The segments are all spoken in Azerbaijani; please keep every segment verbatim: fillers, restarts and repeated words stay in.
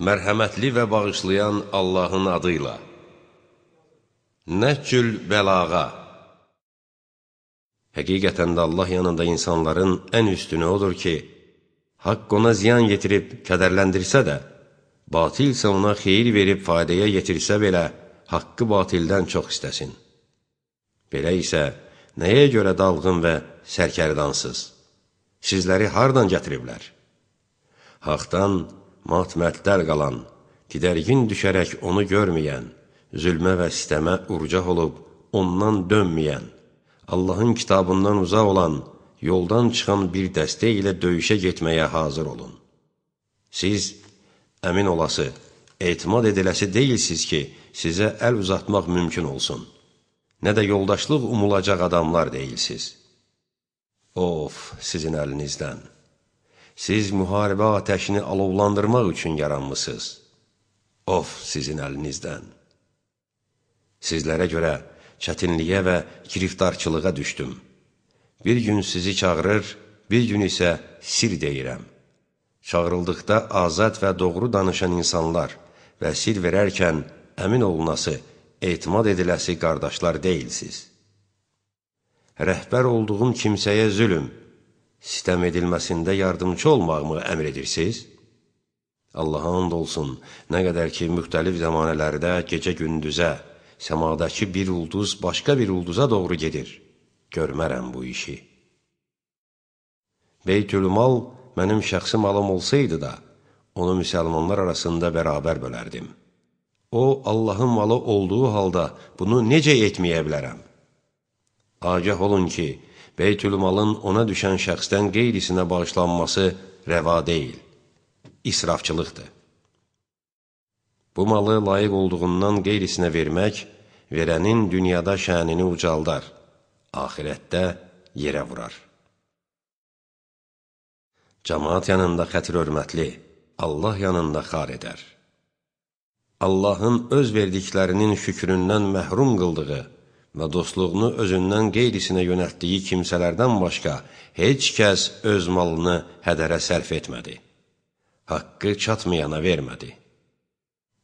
Mərhəmətli və bağışlayan Allahın adıyla. Nəhcül bəlağa. Həqiqətən də Allah yanında insanların ən üstünü odur ki, haqq ona ziyan yetirib kədərləndirsə də, batil isə ona xeyir verib faydaya yetirsə belə, haqqı batildən çox istəsin. Belə isə, nəyə görə dalğın və sərkərdansız? Sizləri hardan gətiriblər? Haqdan matmətlər qalan, didərgin düşərək onu görməyən, zülmə və sistəmə urcaq olub, ondan dönməyən, Allahın kitabından uzaq olan, yoldan çıxan bir dəstə ilə döyüşə getməyə hazır olun. Siz, əmin olası, etimad ediləsi deyilsiz ki, sizə əl uzatmaq mümkün olsun. Nə də yoldaşlıq umulacaq adamlar deyilsiz. Of, sizin əlinizdən! Siz müharibə ateşini alovlandırmaq üçün yaranmısınız. Of, sizin əlinizdən! Sizlərə görə çətinliyə və giriftarçılığa düşdüm. Bir gün sizi çağırır, bir gün isə sir deyirəm. Çağırıldıqda azad və doğru danışan insanlar və sir verərkən əmin olunası, etimad ediləsi qardaşlar deyilsiz. Rəhbər olduğum kimsəyə zülüm, sistəm edilməsində yardımcı olmağımı əmr edirsiniz? Allaha and olsun, nə qədər ki, müxtəlif zəmanələrdə gecə-gündüzə, səmadakı bir ulduz başqa bir ulduza doğru gedir. Görmərəm bu işi. Beytülmal mənim şəxsi malım olsaydı da, onu müsəlmanlar arasında bərabər bölərdim. O, Allahın malı olduğu halda bunu necə etməyə bilərəm? Agah olun ki, Beytülmalın ona düşən şəxsdən qeyrisinə bağışlanması rəva deyil, israfçılıqdır. Bu malı layiq olduğundan qeyrisinə vermək, verənin dünyada şənini ucaldar, axirətdə yerə vurar. Cəmaat yanında xətir-hörmətli, Allah yanında xar edər. Allahın öz verdiklərinin şükründən məhrum qıldığı və dostluğunu özündən qeyrisinə yönəltdiyi kimsələrdən başqa heç kəs öz malını hədərə sərf etmədi. Haqqı çatmayana vermədi.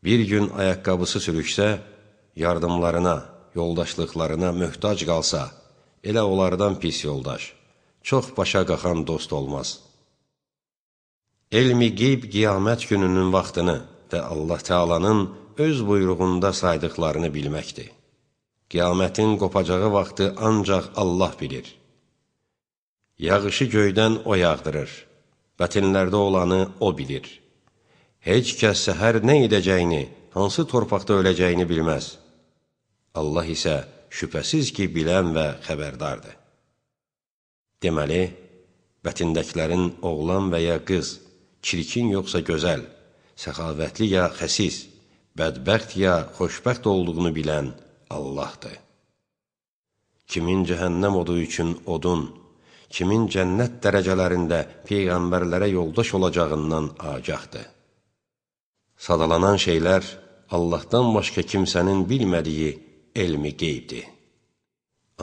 Bir gün ayaqqabısı sürüşsə, yardımlarına, yoldaşlıqlarına möhtac qalsa, elə onlardan pis yoldaş, çox başa qaxan dost olmaz. Elmi qeyb qiyamət gününün vaxtını və Allah Teala'nın öz buyruğunda saydıqlarını bilməkdir. Qiyamətin qopacağı vaxtı ancaq Allah bilir. Yağışı göydən o yağdırır, bətinlərdə olanı o bilir. Heç kəs səhər nə edəcəyini, hansı torpaqda öləcəyini bilməz. Allah isə şübhəsiz ki, bilən və xəbərdardır. Deməli, bətindəkilərin oğlan və ya qız, çirkin yoxsa gözəl, səxavətli ya xəsis, bədbəxt ya xoşbəxt olduğunu bilən Allahdır. Kimin cəhənnəm odu üçün odun, kimin cənnət dərəcələrində peyğəmbərlərə yoldaş olacağından agahdır. Sadalanan şeylər Allahdan başqa kimsənin bilmədiyi elmi qeybdir.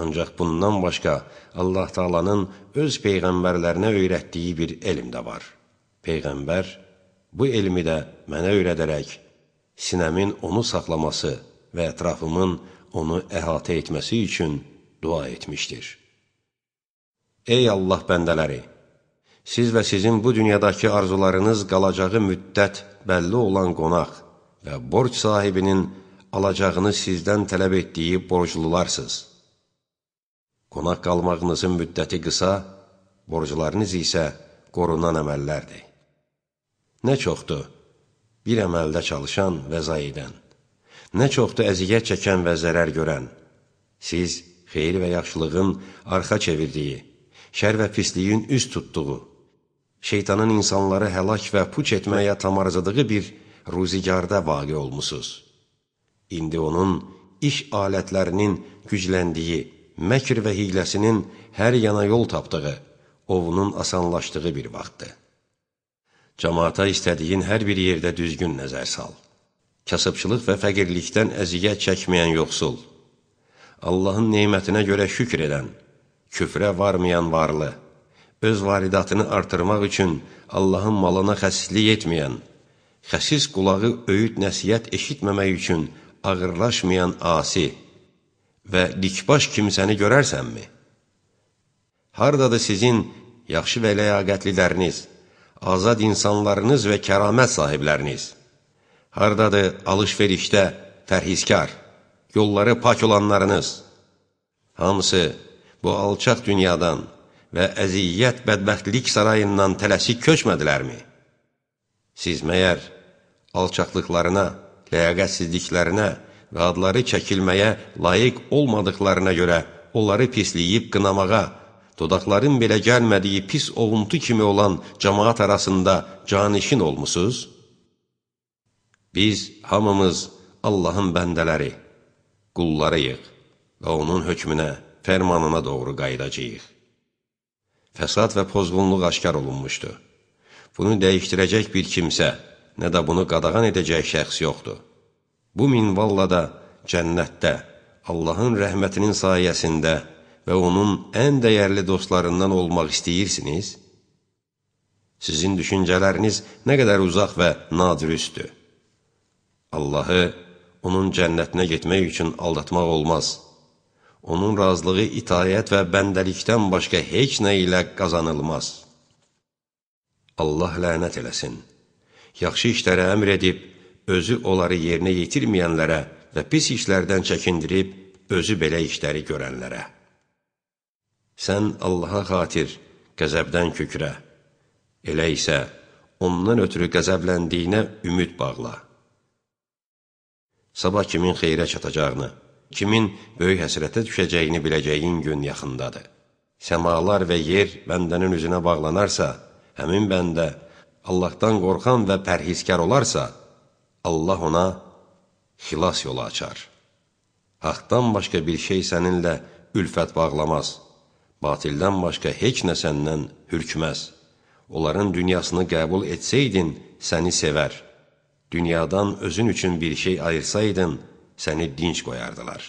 Ancaq bundan başqa Allah Taala'nın öz peyğəmbərlərinə öyrətdiyi bir elm də var. Peyğəmbər bu elmi də mənə öyrədərək, sinəmin onu saxlaması və ətrafımın onu əhatə etməsi üçün dua etmişdir. Ey Allah bəndələri! Siz və sizin bu dünyadakı arzularınız qalacağı müddət bəlli olan qonaq və borc sahibinin alacağını sizdən tələb etdiyi borclularsınız. Qonaq qalmağınızın müddəti qısa, borclarınız isə qorunan əməllərdir. Nə çoxdur bir əməldə çalışan və zayi edən, nə çoxdur əziyyət çəkən və zərər görən. Siz xeyir və yaxşılığın arxa çevirdiyi, şər və pisliyin üst tutduğu, şeytanın insanları həlak və puç etməyə tamarzadığı bir ruzigarda vaqe olmusunuz. İndi onun iş alətlərinin gücləndiyi, məkr və hiyləsinin hər yana yol tapdığı, ovunun asanlaşdığı bir vaxtdır. Cəmaata istədiyin hər bir yerdə düzgün nəzər sal. Kasıbçılıq və fəqirlikdən əziyyət çəkməyən yoxsul, Allahın neymətinə görə şükür edən, küfrə varmayan varlı, öz varidatını artırmaq üçün Allahın malına xəsislik etməyən, xəsis qulağı öyüd nəsiyyət eşitməmək üçün ağırlaşmayan asi və dikbaş kimsəni görərsənmi? Hardadır sizin yaxşı və ləyaqətliləriniz, azad insanlarınız və kəramət sahibləriniz? Hardadır alış-verişdə pərhizkar, yolları pak olanlarınız? Hamısı bu alçaq dünyadan və əziyyət bədbəxtlik sarayından tələsik köçmədilərmi? Siz məyər alçaqlıqlarına, ləyaqətsizliklərinə və adları çəkilməyə layiq olmadıqlarına görə onları pisləyib qınamağa, dodaqların belə gəlmədiyi pis ovuntu kimi olan cəmaat arasında canişin olmusunuz? Biz hamımız Allahın bəndələri, qullarıyıq və onun hökmünə, fərmanına doğru qayıdacağıq. Fəsad və pozğunluq aşkar olunmuşdu. Bunu dəyişdirəcək bir kimsə, nə də bunu qadağan edəcək şəxs yoxdur. Bu minvalla da cənnətdə, Allahın rəhmətinin sayəsində və onun ən dəyərli dostlarından olmaq istəyirsiniz? Sizin düşüncələriniz nə qədər uzaq və nadürüstdür. Allahı onun cənnətinə getmək üçün aldatmaq olmaz. Onun razılığı itayət və bəndəlikdən başqa heç nə ilə qazanılmaz. Allah lənət eləsin. Yaxşı işlərə əmr edib, özü onları yerinə yetirməyənlərə və pis işlərdən çəkindirib, özü belə işləri görənlərə. Sən Allaha xatir qəzəbdən kükrə, elə isə ondan ötürü qəzəbləndiyinə ümid bağla. Sabah kimin xeyrə çatacağını, kimin böyük həsrətə düşəcəyini biləcəyin gün yaxındadır. Səmalar və yer bəndənin üzünə bağlanarsa, həmin bəndə Allahdan qorxan və pərhizkar olarsa, Allah ona xilas yolu açar. Haqdan başqa bir şey səninlə ülfət bağlamaz. Batildən başqa heç nə səndən hürkməz. Onların dünyasını qəbul etsəydin, səni sevər. Dünyadan özün üçün bir şey ayırsaydın, səni dinç qoyardılar.